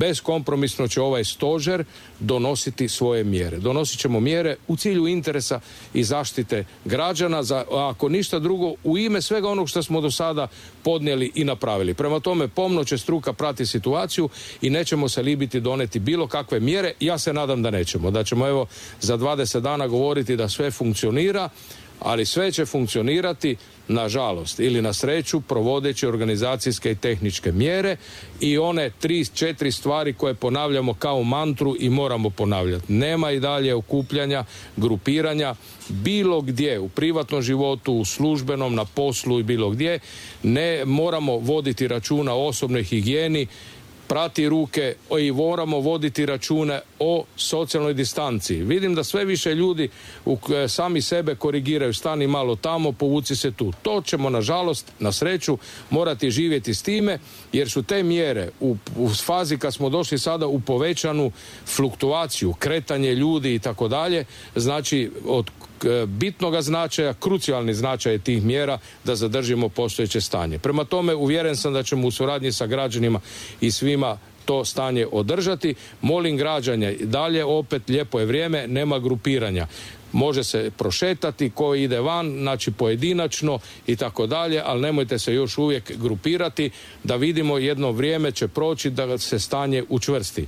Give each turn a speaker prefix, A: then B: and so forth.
A: Beskompromisno će ovaj stožer donositi svoje mjere. Donosit ćemo mjere u cilju interesa i zaštite građana, ako ništa drugo, u ime svega onog što smo do sada podnijeli i napravili. Prema tome, pomno će struka prati situaciju i nećemo se libiti doneti bilo kakve mjere. Ja se nadam da nećemo. Da ćemo evo za 20 dana govoriti da sve funkcionira, ali sve će funkcionirati, nažalost ili na sreću, provodeći organizacijske i tehničke mjere i one 3-4 stvari koje ponavljamo kao mantru i moramo ponavljati. Nema i dalje okupljanja, grupiranja, bilo gdje, u privatnom životu, u službenom, na poslu i bilo gdje. Ne moramo voditi računa o osobnoj higijeni, prati ruke i moramo voditi račune o socijalnoj distanci. Vidim da sve više ljudi sami sebe korigiraju, stani malo tamo, povuci se tu. To ćemo, nažalost, na sreću, morati živjeti s time, jer su te mjere u fazi kad smo došli sada u povećanu fluktuaciju, kretanje ljudi i tako dalje, znači od bitnoga značaja, krucijalni značaj tih mjera da zadržimo postojeće stanje. Prema tome, uvjeren sam da ćemo u suradnji sa građanima i svima to stanje održati. Molim građane, dalje opet lijepo je vrijeme, nema grupiranja. Može se prošetati, ko ide van, znači pojedinačno i tako dalje, ali nemojte se još uvijek grupirati, da vidimo jedno vrijeme će proći da se stanje učvrsti.